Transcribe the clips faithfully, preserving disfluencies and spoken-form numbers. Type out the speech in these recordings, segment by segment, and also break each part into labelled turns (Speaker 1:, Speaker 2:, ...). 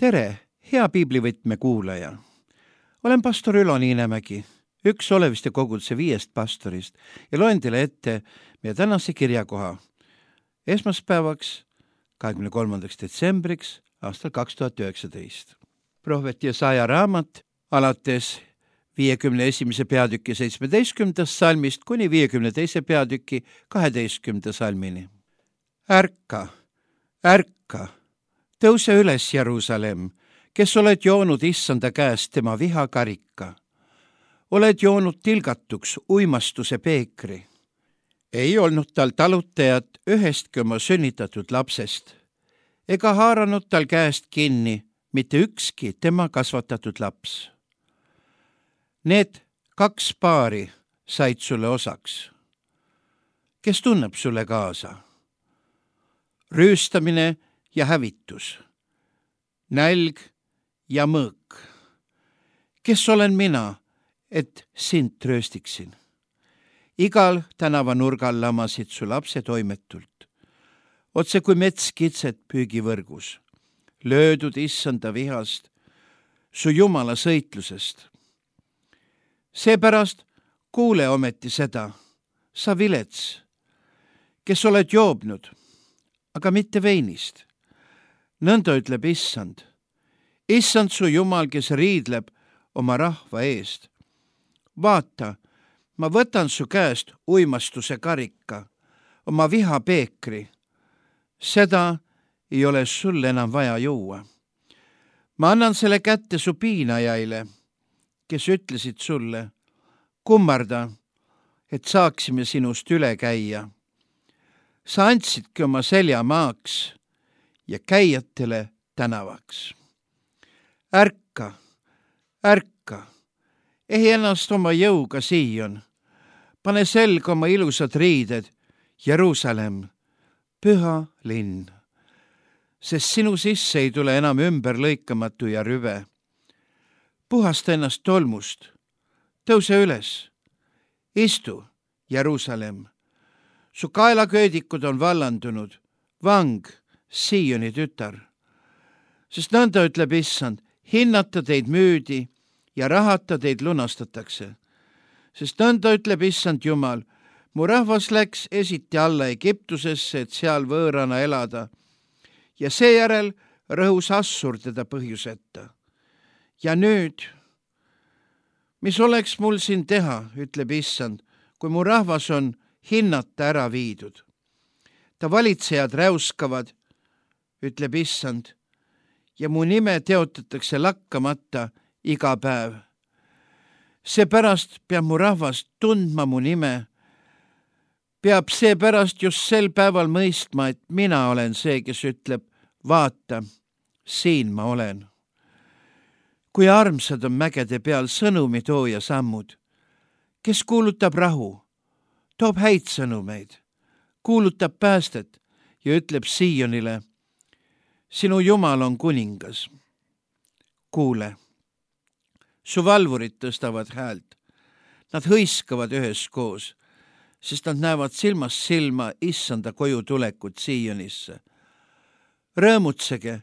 Speaker 1: tere, hea piiblivõtme kuulaja! Olen pastor Ülo Niinemägi, üks Oleviste koguduse viiest pastorist ja loen teile ette meie tänase kirjakoha esmaspäevaks, kahekümne kolmandaks detsembriks aastal kaks tuhat üheksateist. Prohvet Jesaja raamat alates viiekümne esimese peatüki seitsmeteistkümnendast salmist kuni viiekümne teise peatüki kaheteistkümnenda salmini. Ärka, ärka, tõuse üles, Jeruusalemm, kes oled joonud issanda käest tema vihakarika. Oled joonud tilgatuks uimastuse peekri. Ei olnud tal talutajat ühestki oma sünnitatud lapsest, ega haaranud tal käest kinni mitte ükski tema kasvatatud laps. Need kaks paari said sulle osaks. Kes tunneb sulle kaasa? Rüüstamine ja hävitus, nälg ja mõõk. Kes olen mina, et sind trööstiksin? Igal tänavanurgal lamasid su lapsed toimetult, otse kui metskitsed püügivõrgus, löödud issanda vihast, su jumala sõitlusest. Seepärast kuule ometi seda, sa vilets, kes oled joobnud, aga mitte veinist. Nõnda ütleb issand. Issand su jumal, kes riidleb oma rahva eest. Vaata, ma võtan su käest uimastuse karika, oma viha peekri. Seda ei ole sul enam vaja juua. Ma annan selle kätte su piinajaile, kes ütlesid sulle, kummarda, et saaksime sinust üle käia. Sa andsidki oma selja maaks ja käijatele tänavaks. Ärka, ärka, ehi ennast oma jõuga Siion. Pane selga oma ilusad riided, Jeruusalemm, püha linn. Sest sinu sisse ei tule enam ümber lõikamatu ja rüve. Puhasta ennast tolmust, tõuse üles, istu, Jeruusalemm. Su kaelaköödikud on vallandunud, vang, Sioni tütar. Sest nõnda ütleb issand, hinnata teid müüdi ja rahata teid lunastatakse. Sest nõnda ütleb issand Jumal, mu rahvas läks esiti alla Egiptusesse, et seal võõrana elada. Ja seejärel rõhus Assur teda põhjuseta. Ja nüüd, mis oleks mul siin teha, ütleb issand, kui mu rahvas on hinnata ära viidud. Ta valitsejad räuskavad, ütleb issand, ja mu nime teotatakse lakkamata iga päev. Seepärast peab mu rahvas tundma mu nime. Peab seepärast just sel päeval mõistma, et mina olen see, kes ütleb, vaata, siin ma olen. Kui armsad on mägede peal sõnumi tooja sammud, kes kuulutab rahu, toob häid sõnumeid, kuulutab päästet ja ütleb Siionile, sinu Jumal on kuningas. Kuule, su valvurid tõstavad häält, nad hõiskavad üheskoos, sest nad näevad silmast silma issanda koju tulekut Sionisse. Rõõmutsege,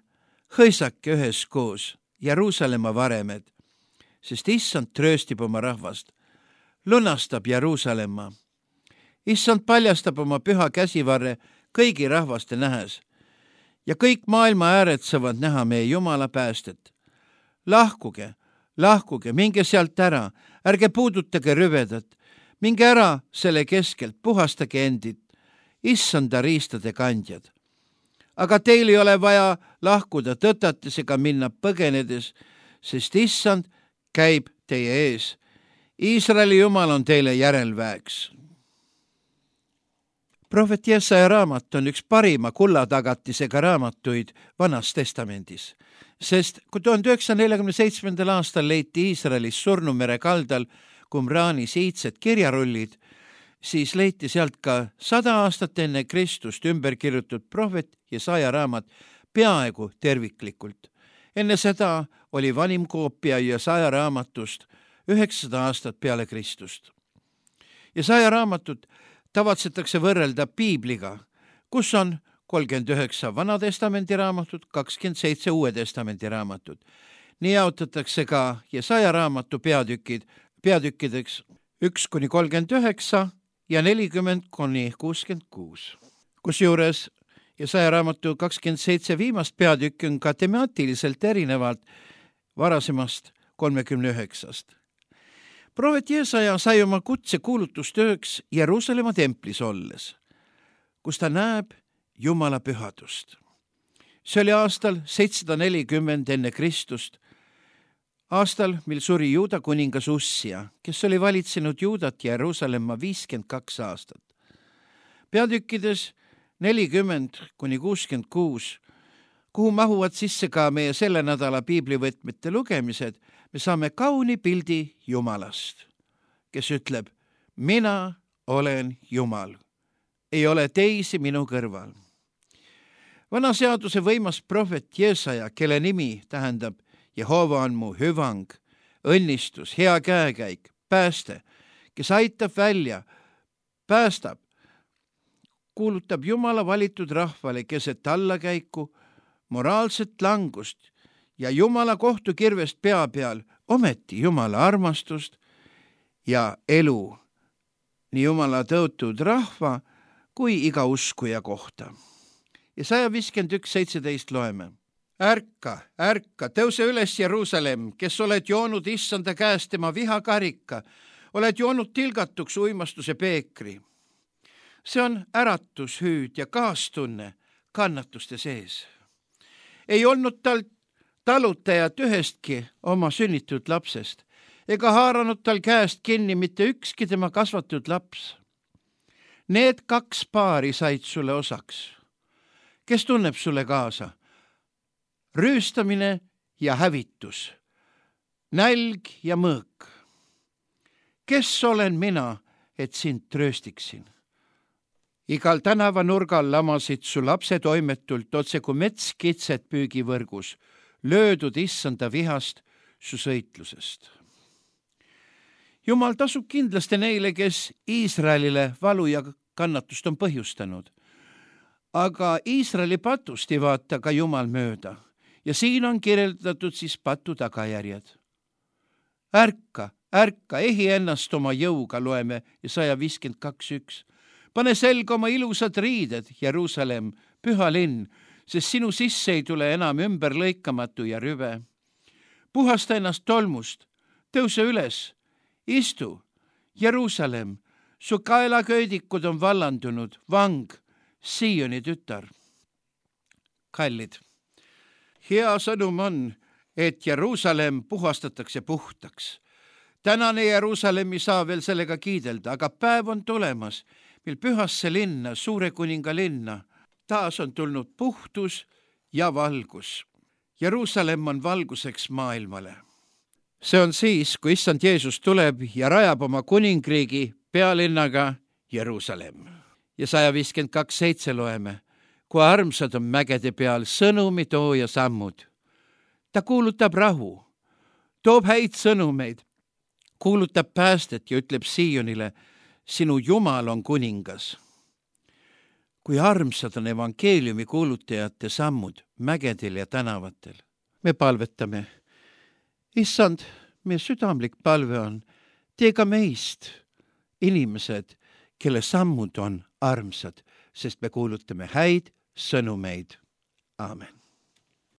Speaker 1: hõisake üheskoos, Jeruusalemma varemed, sest issand trööstib oma rahvast, lunastab Jeruusalemma. Issand paljastab oma püha käsivarre kõigi rahvaste nähes ja kõik maailma ääred saavad näha meie Jumala päästet. Lahkuge, lahkuge, minge sealt ära, ärge puudutage rüvedat, minge ära selle keskelt, puhastage endid, issanda riistade kandjad. Aga teil ei ole vaja lahkuda tõtates ega minna põgenedes, sest issand käib teie ees. Iisraeli Jumal on teile järelväeks. Prohvet Jesaja raamat on üks parima kullatagatisega raamatuid Vanas testamendis, sest kui tuhande üheksasaja neljakümne seitsmendal aastal leiti Iisraelis Surnumere kaldal Qumrani siidsed kirjarullid, siis leiti sealt ka sada aastat enne Kristust ümber kirjutatud prohvet Jesaja raamat peaaegu terviklikult. Enne seda oli vanim koopia Jesaja raamatust üheksasada aastat peale Kristust. Jesaja raamatut tavatsetakse võrrelda piibliga, kus on kolmkümmend üheksa Vana Testamendi raamatut, kakskümmend seitse Uue Testamendi raamatut. nii jaotatakse ka Jesaja raamatu peatükid peatükkideks üks kuni kolmkümmend üheksa ja nelikümmend kuni kuuskümmend kuus. Kusjuures Jesaja raamatu kakskümmend seitse viimast peatükki on ka temaatiliselt erinevalt varasemast kolmekümne üheksast. Prohvet Jesaja sai oma kutse kuulutustööks Jeruusalemma templis olles, kus ta näeb Jumala pühadust. See oli aastal seitsesada nelikümmend enne Kristust, aastal, mil suri Juuda kuningas Ussia, kes oli valitsenud Juudat ja Jeruusalemma viiskümmend kaks aastat. Peatükkides nelikümmend kuni kuuskümmend kuus, kuhu mahuvad sisse ka meie selle nädala piiblivõtmete lugemised, me saame kauni pildi Jumalast, kes ütleb, mina olen Jumal, ei ole teisi minu kõrval. Vana seaduse võimas prohvet Jesaja, kelle nimi tähendab Jehova on mu hüvang, õnnistus, hea käekäik, pääste, kes aitab välja, päästab, kuulutab Jumala valitud rahvale keset allakäiku, moraalset langust ja Jumala kohtukirvest pea peal ometi Jumala armastust ja elu nii Jumala tõotud rahva kui iga uskuja kohta. Ja saja viiskümmend üks seitseteist loeme. Ärka, ärka, tõuse üles Jeruusalemm, kes oled joonud issanda käest tema vihakarika, oled joonud tilgatuks uimastuse peekri. See on äratus, hüüd ja kaastunne kannatuste sees. Ei olnud tal talutajat ühestki oma sünnitud lapsest, ega haaranud tal käest kinni mitte ükski tema kasvatud laps. Need kaks paari said sulle osaks. Kes tunneb sulle kaasa? Rüüstamine ja hävitus, nälg ja mõõk. Kes olen mina, et sind tröstiksin? Igal tänavanurgal lamasid su lapse toimetult otse kui mets kitset püügivõrgus, löödud issanda vihast su sõitlusest. Jumal tasub kindlasti neile, kes Iisraelile valu ja kannatust on põhjustanud. Aga Iisraeli patust ei vaata ka Jumal mööda ja siin on kirjeldatud siis patu tagajärjed. Ärka, ärka, ehi ennast oma jõuga, loeme Jesaja viiskümmend kaks üks. Pane selga oma ilusad riided, Jeruusalemm, püha linn, sest sinu sisse ei tule enam ümber lõikamatu ja rüve. Puhasta ennast tolmust, tõuse üles, istu, Jeruusalemm, su kaelaköödikud on vallandunud, vang, Sioni tütar. Kallid, hea sõnum on, et Jeruusalemm puhastatakse puhtaks. Tänane Jeruusalemm ei saa veel sellega kiidelda, aga päev on tulemas, mil pühasse linna, suure kuninga linna, taas on tulnud puhtus ja valgus. Jeruusalemm on valguseks maailmale. See on siis, kui issand Jeesus tuleb ja rajab oma kuningriigi pealinnaga Jeruusalemm. Ja saja viiskümmend kaks seitse loeme, kui armsad on mägede peal sõnumi tooja sammud. Ta kuulutab rahu, toob häid sõnumeid, kuulutab päästet ja ütleb Siionile, sinu Jumal on kuningas. Kui armsad on evangeeliumi kuulutajate sammud mägedel ja tänavatel. Me palvetame. Issand, meie südamlik palve on, tee ka meist inimesed, kelle sammud on armsad, sest me kuulutame häid sõnumeid. Aamen.